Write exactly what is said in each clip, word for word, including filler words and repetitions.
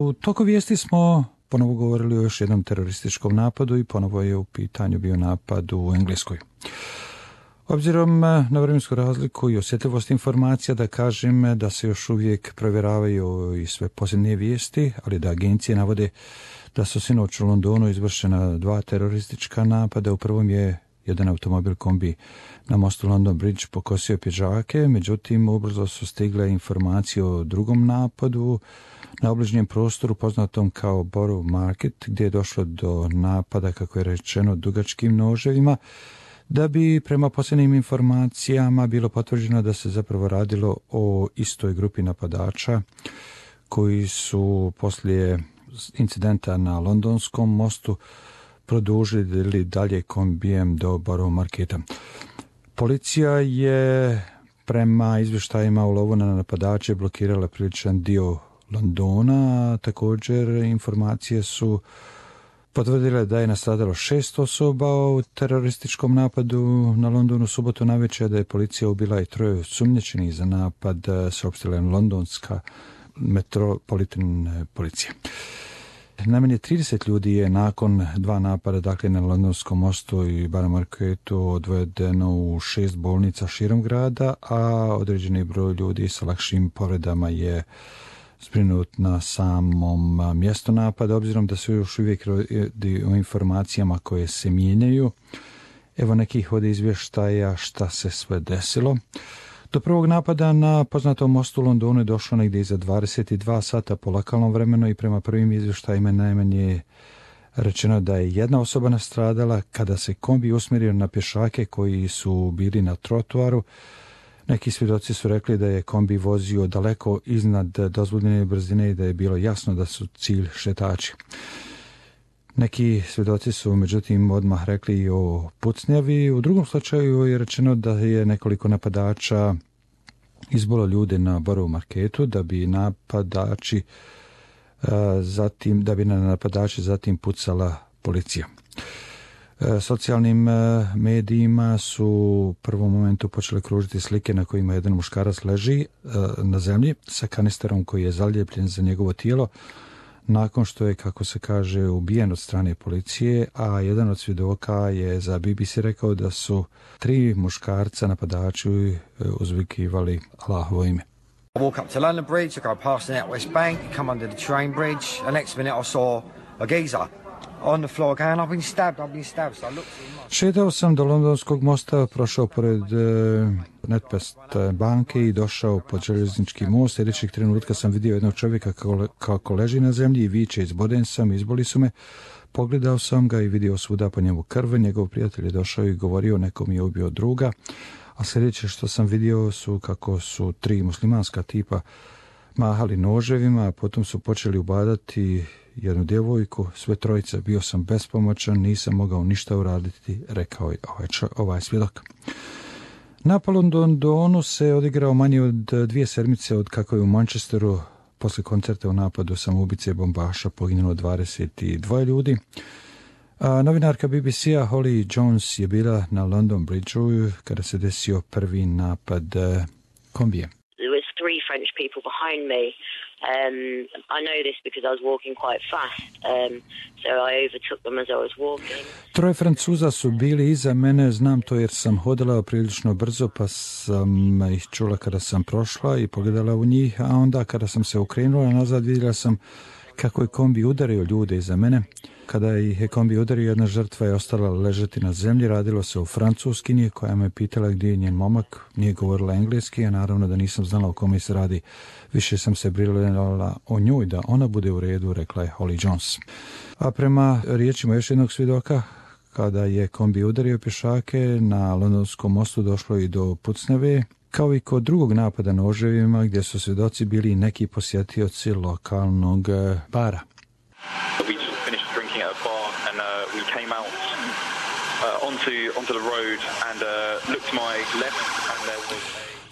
U toku vijesti smo ponovo govorili o još jednom terorističkom napadu i ponovo je u pitanju bio napad u Engleskoj. Obzirom na vremensku razliku i osjetljivost informacija, da kažem da se još uvijek provjeravaju i sve posljednje vijesti, ali da agencije navode da su sinoć u Londonu izvršena dva teroristička napada. U prvom je jedan automobil kombi na mostu London Bridge pokosio pješake, međutim ubrzo su stigle informacije o drugom napadu na obližnjem prostoru poznatom kao Borough Market, gdje je došlo do napada, kako je rečeno, dugačkim noževima, da bi prema posljednjim informacijama bilo potvrđeno da se zapravo radilo o istoj grupi napadača koji su poslije incidenta na Londonskom mostu produžili dalje kombijem do Borough Marketa. Policija je prema izvještajima u lovu na napadače blokirala priličan dio Londona. Također informacije su potvrdile da je nastradalo šest osoba u terorističkom napadu na Londonu subotu navečer, da je policija ubila i troje osumnjičenih za napad, saopštila je londonska metropolitan policija. Najmanje trideset ljudi je nakon dva napada, dakle na Londonskom mostu i Borough Marketu, odvedeno u šest bolnica širom grada, a određeni broj ljudi sa lakšim povredama je zbrinut na samom mjestu napada. Obzirom da su još uvijek radi o informacijama koje se mijenjaju, evo nekih od izvještaja šta se sve desilo. Do prvog napada na poznatom mostu u Londonu je došlo negdje iza dvadeset dva sata po lokalnom vremenu i prema prvim izvještajima najmanje rečeno da je jedna osoba nastradala kada se kombi usmjerio na pješake koji su bili na trotoaru. Neki svjedoci su rekli da je kombi vozio daleko iznad dozvoljene brzine i da je bilo jasno da su cilj šetači. Neki svjedoci su međutim odmah rekli i o pucnjavi. U drugom slučaju je rečeno da je nekoliko napadača izbolo ljude na Borough Marketu, da bi napadači zatim, da bi na napadači zatim pucala policija. Socijalnim medijima su u prvom momentu počeli kružiti slike na kojima jedan muškarac leži na zemlji sa kanisterom koji je zaljepljen za njegovo tijelo nakon što je, kako se kaže, ubijen od strane policije, a jedan od svjedoka je za B B C rekao da su tri muškarca napadači uzvikivali Allahovo ime. I walk up to London Bridge, I go past the NatWest Bank, come under the train bridge, the next minute I saw a geezer on the floor going, I've been stabbed, I've been stabbed. So I looked at him. Šetao sam do Londonskog mosta, prošao pored uh, NatWest banke i došao pod željeznički most. Sljedećeg trenutka sam vidio jednog čovjeka kako, kako leži na zemlji i viče, izboden sam, izboli su me. Pogledao sam ga i vidio svuda po njemu krv. Njegov prijatelj je došao i govorio, nekom je ubio druga. A sljedeće što sam vidio su kako su tri muslimanska tipa mahali noževima, a potom su počeli ubadati jednu djevojku, sve trojice. Bio sam bespomoćan, nisam mogao ništa uraditi, rekao je ovaj, čo, ovaj svjedok. Napad u Londonu se odigrao manje od dvije sedmice od kako je u Manchesteru poslije koncerta u napadu samoubice bombaša poginulo dvadeset dva ljudi. A novinarka B B C-a Holly Jones je bila na London Bridgeu kada se desio prvi napad kombije. There was three French people behind me. Um, I know this because I was walking quite fast, um, so I overtook them as I was walking. Troje Francuza su bili iza mene, znam to jer sam hodala prilično brzo, pa sam ih čula kada sam prošla i pogledala u njih, a onda kada sam se okrenula nazad vidjela sam kako je kombi udario ljude iza mene. Kada ih je kombi udario, jedna žrtva je ostala ležati na zemlji. Radilo se o Francuskinji koja me pitala gdje je njen momak. Nije govorila engleski, a naravno da nisam znala o kome se radi. Više sam se brinula o njoj da ona bude u redu, rekla je Holly Jones. A prema riječima još jednog svjedoka, kada je kombi udario pješake na Londonskom mostu došlo i do pucnjave, kao i kod drugog napada noževima gdje su svjedoci bili neki posjetioci lokalnog bara.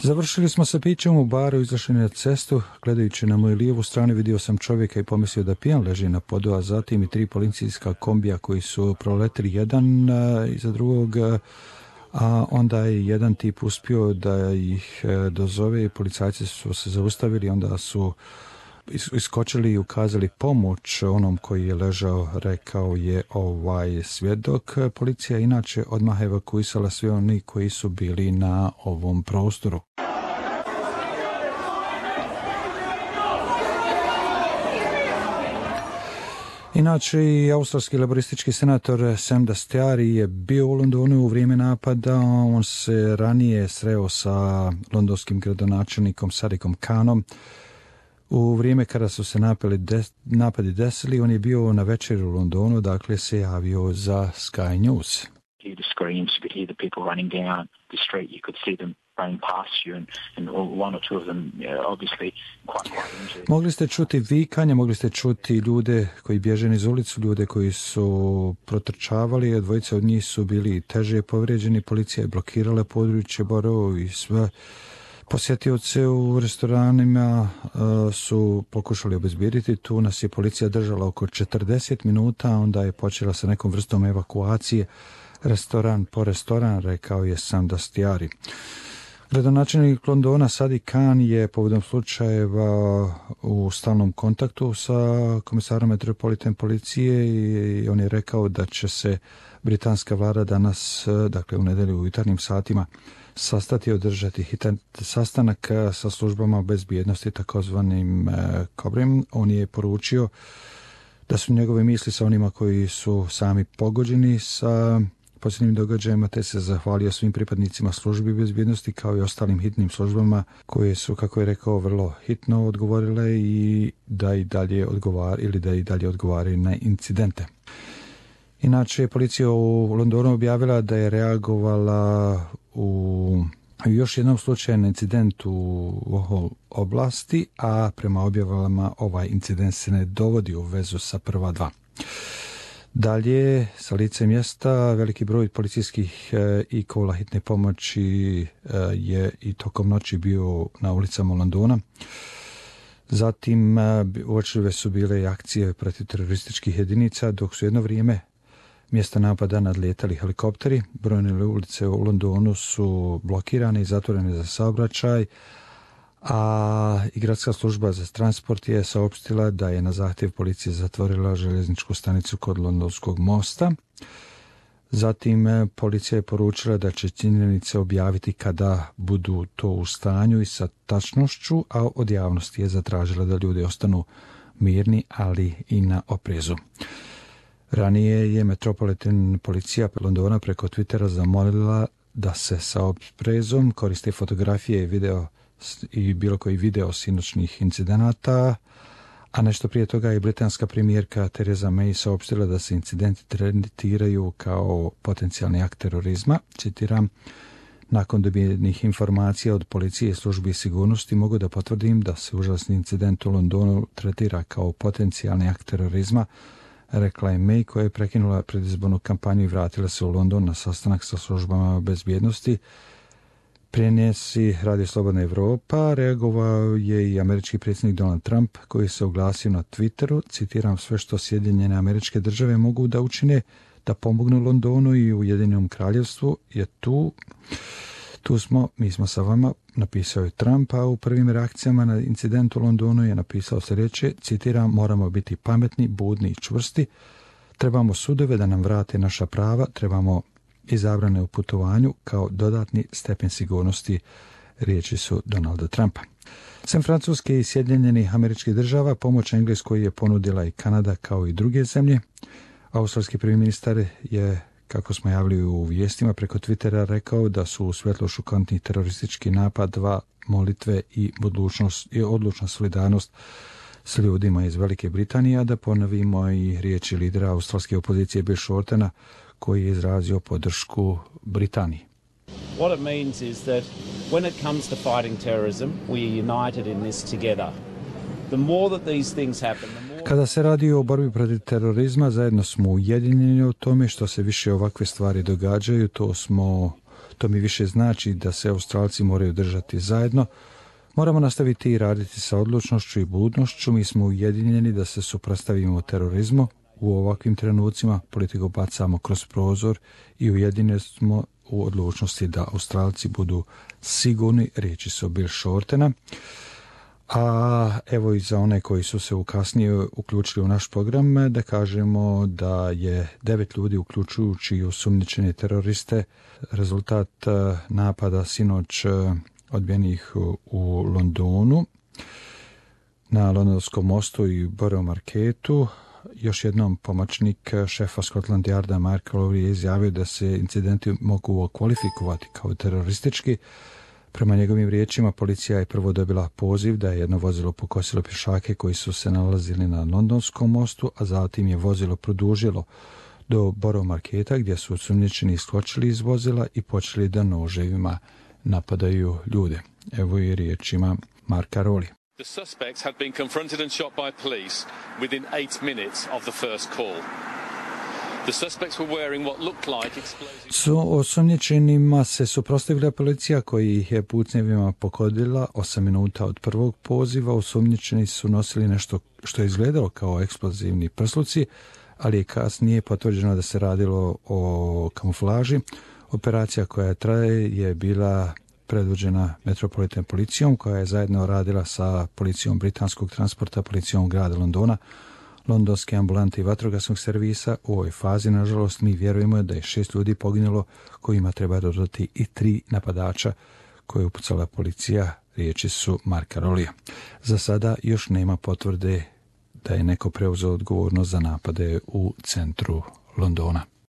Završili smo sa pićem u baru, izašli na cestu. Gledajući na moju lijevu stranu vidio sam čovjeka i pomislio da pijan leži na podu, a zatim i tri policijska kombija koji su proletili jedan uh, iza drugog, uh, a onda je jedan tip uspio da ih uh, dozove i policajci su se zaustavili, onda su iskočili i ukazali pomoć onom koji je ležao, rekao je ovaj svjedok. Policija inače odmah evakuisala sve oni koji su bili na ovom prostoru. Inače, i australski laboristički senator Sam Dastyari je bio u Londonu u vrijeme napada. On se ranije sreo sa londonskim gradonačelnikom Sadikom Khanom. U vrijeme kada su se napadi, des, napadi desili, on je bio na večeri u Londonu, dakle se javio za Sky News. Mogli ste čuti vikanje, mogli ste čuti ljude koji bježe niz ulicu, ljude koji su protrčavali, dvojice od njih su bili teže povrijeđeni, policija je blokirala područje Borough i sve. Posjetioce u restoranima uh, su pokušali obezbijediti. Tu nas je policija držala oko četrdeset minuta, onda je počela sa nekom vrstom evakuacije restoran po restoran, rekao je Sam Dastyari. Gradonačelnik Londona Sadiq Khan je povodom slučajeva u stalnom kontaktu sa komisarom metropolitan policije i on je rekao da će se britanska vlada danas, dakle u nedjelju u jutarnjim satima, sastati i održati hitan sastanak sa službama bezbjednosti, takozvanim Kobrim. On je poručio da su njegove misli sa onima koji su sami pogođeni sa posljednjim događajima, te se zahvalio svim pripadnicima službi bezbjednosti kao i ostalim hitnim službama koje su, kako je rekao, vrlo hitno odgovorile i da i dalje odgovar ili da i dalje odgovaraju na incidente. Inače, policija u Londonu objavila da je reagovala u još jednom slučaju na incident u oblasti, a prema objavama ovaj incident se ne dovodi u vezu sa prva dva. Dalje, sa lice mjesta, veliki broj policijskih e, i kola hitne pomoći e, je i tokom noći bio na ulicama Londona. Zatim, e, uočljive su bile i akcije protiv terorističkih jedinica, dok su jedno vrijeme mjesta napada nadlijetali helikopteri. Brojne ulice u Londonu su blokirane i zatvorene za saobraćaj, a i gradska služba za transport je saopštila da je na zahtjev policije zatvorila željezničku stanicu kod Londonskog mosta. Zatim policija je poručila da će činjenice objaviti kada budu to u stanju i sa tačnošću, a od javnosti je zatražila da ljudi ostanu mirni, ali i na oprezu. Ranije je Metropolitan policija Londona preko Twittera zamolila da se sa oprezom koriste fotografije i video i bilo koji video sinoćnih incidenata, a nešto prije toga je britanska premijerka Theresa May saopštila da se incidenti tretiraju kao potencijalni akt terorizma. Citiram: nakon dobijenih informacija od policije i službi sigurnosti mogu da potvrdim da se užasni incident u Londonu tretira kao potencijalni akt terorizma, rekla je May, koja je prekinula predizbornu kampanju i vratila se u London na sastanak sa službama bezbjednosti. Prenesi Radio Slobodna Evropa, reagovao je i američki predsjednik Donald Trump, koji se oglasio na Twitteru, citiram: sve što Sjedinjene Američke Države mogu da učine da pomognu Londonu i Ujedinjenom kraljevstvu je tu. Tu smo, mi smo sa vama, napisao je Trump, a u prvim reakcijama na incident u Londonu je napisao sljedeće, citiram: moramo biti pametni, budni i čvrsti, trebamo sudove da nam vrate naša prava, trebamo i zabrane u putovanju kao dodatni stepen sigurnosti, riječi su Donalda Trumpa. Sem Francuske i Sjedinjenih Američkih Država, pomoć Engleskoj je ponudila i Kanada kao i druge zemlje. Australski prvi ministar je, kako smo javili u vijestima preko Twittera, rekao da su u svjetlu šokantnih terorističkih napada molitve i odlučnost i odlučna solidarnost s ljudima iz Velike Britanije, a da ponovimo i riječi lidera australske opozicije Bill Shortena, koji je izrazio podršku Britaniji. What it means is that when it comes to fighting terrorism, we are united in this together. The more that these things happen, the more... Kada se radi o borbi protiv terorizma, zajedno smo ujedinjeni o tome. Što se više ovakve stvari događaju, to smo, to mi više znači da se Australci moraju držati zajedno. Moramo nastaviti i raditi sa odlučnošću i budnošću. Mi smo ujedinjeni da se suprotstavimo terorizmu. U ovakvim trenucima politiku bacamo kroz prozor i ujedinjeni smo u odlučnosti da Australci budu sigurni, riječi su Bill Shortena. A evo i za one koji su se u kasnije uključili u naš program, da kažemo da je devet ljudi, uključujući i osumnjičene teroriste, rezultat napada sinoć odbijenih u Londonu, na Londonskom mostu i Borough Marketu. Još jednom pomoćnik šefa Scotland Yarda Mark Lowry je izjavio da se incidenti mogu kvalifikovati kao teroristički. Prema njegovim riječima, policija je prvo dobila poziv da je jedno vozilo pokosilo pješake koji su se nalazili na Londonskom mostu, a zatim je vozilo produžilo do Borough Marketa, gdje su osumnjičeni iskočili iz vozila i počeli da noževima napadaju ljude. Evo i riječima Marka Rowley. The suspects had been confronted and shot by police within eight minutes of the first call. The suspects were wearing what looked like explosive... Su osumnjičenima se suprotstavila policija koji ih je pucnjevima pokodila osam minuta od prvog poziva. Osumnjičeni su nosili nešto što je izgledalo kao eksplozivni prsluci, ali je kasnije potvrđeno da se radilo o kamuflaži. Operacija koja traje je bila predvođena Metropolitan policijom, koja je zajedno radila sa policijom britanskog transporta, policijom grada Londona, londonske ambulante i vatrogasnog servisa. U ovoj fazi, nažalost, mi vjerujemo da je šest ljudi poginulo, kojima treba dodati i tri napadača koje je upucala policija, riječi su Marka Rowleya. Za sada još nema potvrde da je neko preuzeo odgovornost za napade u centru Londona.